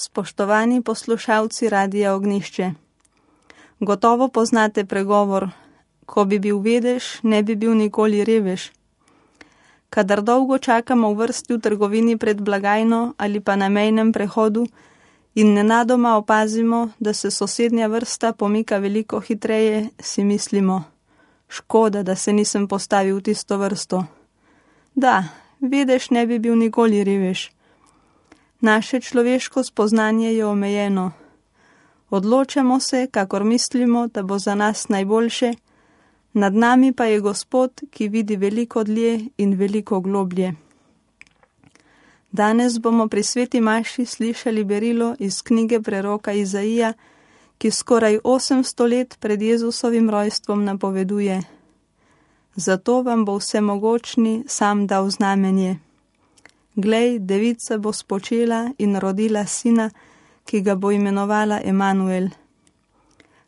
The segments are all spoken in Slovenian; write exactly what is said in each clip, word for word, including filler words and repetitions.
Spoštovani poslušalci Radia Ognjišče, gotovo poznate pregovor: ko bi bil vedež, ne bi bil nikoli revež. Kadar dolgo čakamo v vrsti v trgovini pred blagajno ali pa na mejnem prehodu in nenadoma opazimo, da se sosednja vrsta pomika veliko hitreje, si mislimo: škoda, da se nisem postavil v tisto vrsto. Da, vedež ne bi bil nikoli revež. Naše človeško spoznanje je omejeno. Odločamo se, kakor mislimo, da bo za nas najboljše, nad nami pa je Gospod, ki vidi veliko dlje in veliko globlje. Danes bomo pri sveti maši slišali berilo iz knjige preroka Izaija, ki skoraj osemsto let pred Jezusovim rojstvom napoveduje: zato vam bo vsemogočni sam dal znamenje. Glej, devica bo spočela in rodila sina, ki ga bo imenovala Emanuel.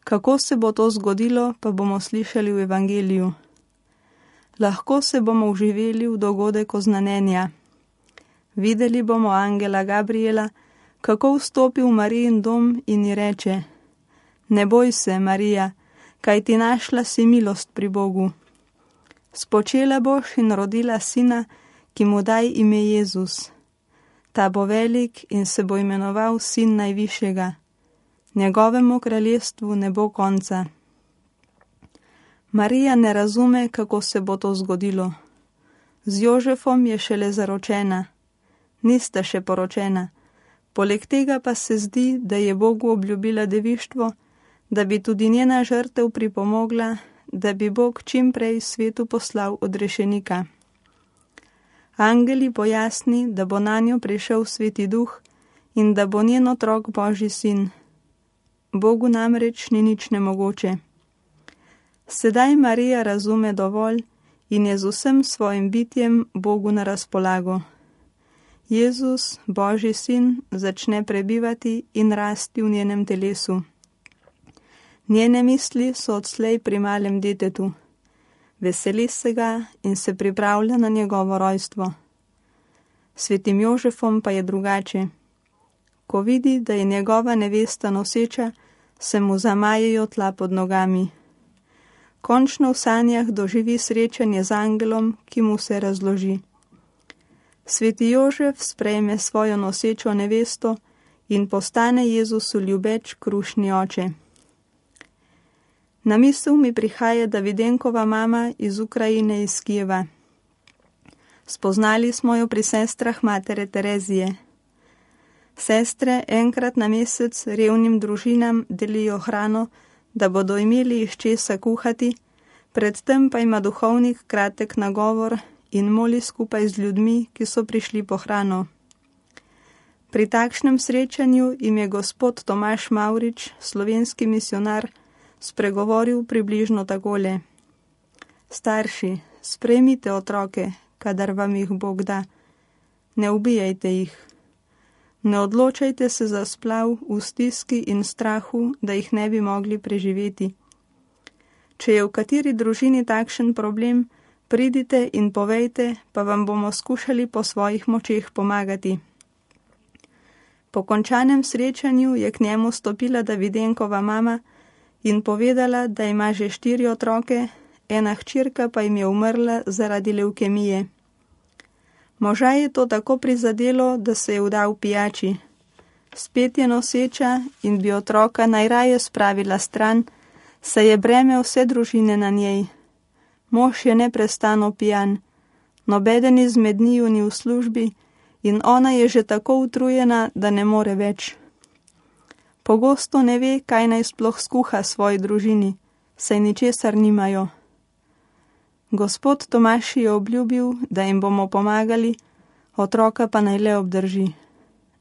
Kako se bo to zgodilo, pa bomo slišali v Evangeliju. Lahko se bomo vživeli v dogodek oznanjenja. Videli bomo angela Gabriela, kako vstopi v Marijin dom in ji reče: ne boj se, Marija, kaj ti našla si milost pri Bogu. Spočela boš in rodila sina, ki mu daj ime Jezus. Ta bo velik in se bo imenoval Sin Najvišjega. Njegovemu kraljestvu ne bo konca. Marija ne razume, kako se bo to zgodilo. Z Jožefom je šele zaročena. Nista še poročena. Poleg tega pa se zdi, da je Bogu obljubila devištvo, da bi tudi njena žrtev pripomogla, da bi Bog čim prej svetu poslal odrešenika. Angeli pojasni, da bo nanjo prišel Sveti Duh in da bo njen otrok Božji sin. Bogu namreč ni nič nemogoče. Sedaj Marija razume dovolj in je z vsem svojim bitjem Bogu na razpolago. Jezus, Božji sin, začne prebivati in rasti v njenem telesu. Njene misli so odslej pri malem detetu. Veseli se ga in se pripravlja na njegovo rojstvo. Svetim Jožefom pa je drugače. Ko vidi, da je njegova nevesta noseča, se mu zamajejo tla pod nogami. Končno v sanjah doživi srečanje z angelom, ki mu se razloži. Sveti Jožef sprejme svojo nosečo nevesto in postane Jezusu ljubeč krušni oče. Na misel mi prihaja Davidenkova mama iz Ukrajine, iz Kijeva. Spoznali smo jo pri sestrah matere Terezije. Sestre enkrat na mesec revnim družinam delijo hrano, da bodo imeli iz česa kuhati, predtem pa ima duhovnik kratek nagovor in moli skupaj z ljudmi, ki so prišli po hrano. Pri takšnem srečanju jim je gospod Tomaž Mavrič, slovenski misionar, spregovoril približno takole: starši, sprejmite otroke, kadar vam jih Bog da. Ne ubijajte jih. Ne odločajte se za splav v stiski in strahu, da jih ne bi mogli preživeti. Če je v kateri družini takšen problem, pridite in povejte, pa vam bomo skušali po svojih močeh pomagati. Po končanem srečanju je k njemu stopila Davidenkova mama in povedala, da ima že štiri otroke, ena hčerka pa jim je umrla zaradi levkemije. Moža je to tako prizadelo, da se je vdal pijači. Spet je noseča in bi otroka najraje spravila stran, saj je breme vse družine na njej. Mož je neprestano pijan, nobeden izmed njiju ni v službi in ona je že tako utrujena, da ne more več. Pogosto ne ve, kaj naj sploh skuha svoji družini, saj ničesar nimajo. Gospod Tomaž je obljubil, da jim bomo pomagali, otroka pa naj le obdrži.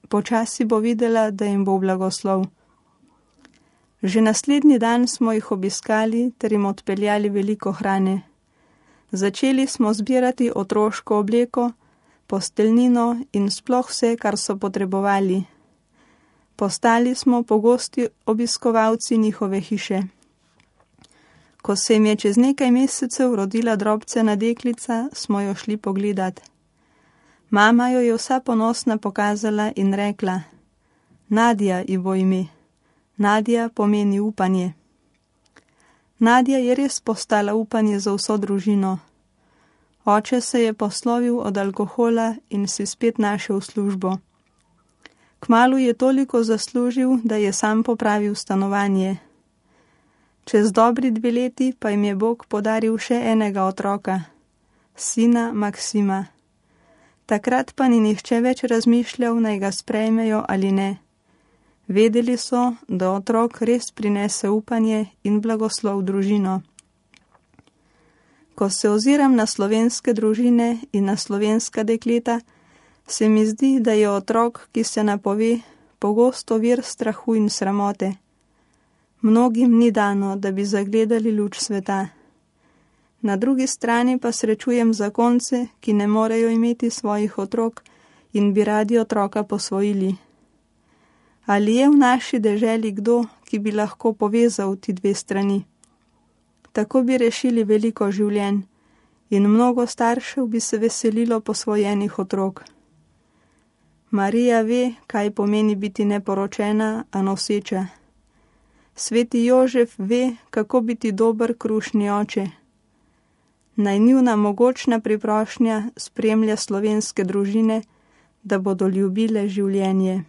Počasi bo videla, da jim bo blagoslov. Že naslednji dan smo jih obiskali ter jim odpeljali veliko hrane. Začeli smo zbirati otroško obleko, posteljnino in sploh vse, kar so potrebovali. Postali smo pogosti obiskovalci njihove hiše. Ko se jim je čez nekaj mesecev rodila drobcena deklica, smo jo šli pogledat. Mama jo je vsa ponosna pokazala in rekla: Nadja ji bo ime. Nadja pomeni upanje. Nadja je res postala upanje za vso družino. Oče se je poslovil od alkohola in si spet našel službo. Kmalu je toliko zaslužil, da je sam popravil stanovanje. Čez dobri dve leti pa jim je Bog podaril še enega otroka, sina Maksima. Takrat pa ni nihče več razmišljal, naj ga sprejmejo ali ne. Vedeli so, da otrok res prinese upanje in blagoslov v družino. Ko se oziram na slovenske družine in na slovenska dekleta, se mi zdi, da je otrok, ki se napove, pogosto vir strahu in sramote. Mnogim ni dano, da bi zagledali luč sveta. Na drugi strani pa srečujem zakonce, ki ne morejo imeti svojih otrok in bi radi otroka posvojili. Ali je v naši deželi kdo, ki bi lahko povezal ti dve strani? Tako bi rešili veliko življenj in mnogo staršev bi se veselilo posvojenih otrok. Marija ve, kaj pomeni biti neporočena, a noseča. Sveti Jožef ve, kako biti dober krušni oče. Naj njuna mogočna priprošnja spremlja slovenske družine, da bodo ljubile življenje.